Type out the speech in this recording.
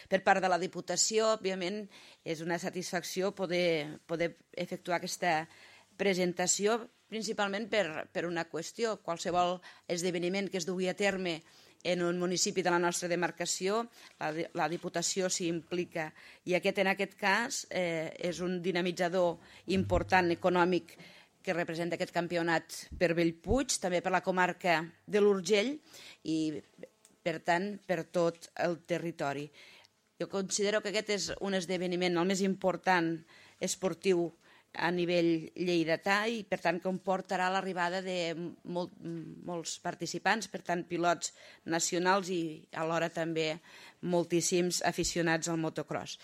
Per part de la Diputació, òbviament, és una satisfacció poder efectuar aquesta presentació, principalment per una qüestió. Qualsevol esdeveniment que es dugui a terme en un municipi de la nostra demarcació, la Diputació s'hi implica. I en aquest cas és un dinamitzador important econòmic que representa aquest campionat per Bellpuig, també per la comarca de l'Urgell i, per tant, per tot el territori. Jo considero que aquest és un esdeveniment el més important esportiu a nivell lleidatà i, per tant, comportarà l'arribada de molts participants, per tant, pilots nacionals i alhora també moltíssims aficionats al motocross.